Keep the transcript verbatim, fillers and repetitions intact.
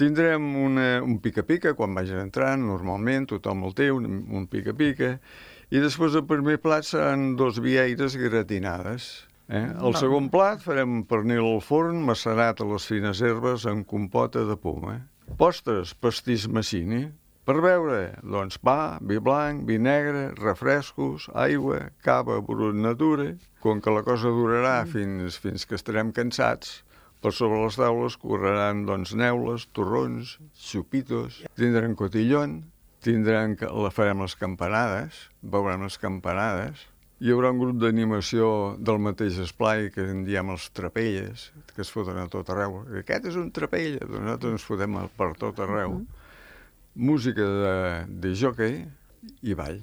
Tindrem una, un pica-pica quan vagin entrant, normalment, tothom el té, un, un pica-pica, i després el primer plat seran dos vieires gratinades. Eh? El segon plat farem pernil al forn, macerat a les fines herbes amb compota de poma. Postres, pastís massini. Per beure, doncs pa, vi blanc, vi negre, refrescos, aigua, cava, brut natura. Com que la cosa durarà fins, fins que estarem cansats, per sobre les taules correran doncs, neules, torrons, xupitos, tindran cotillon, tindran, la farem les campanades, veurem les campanades. Hi haurà un grup d'animació del mateix esplai que en diem els trapelles, que es foten a tot arreu. Aquest és un trapella, doncs nosaltres ens fotem per tot arreu. Música de, de jockey i ball.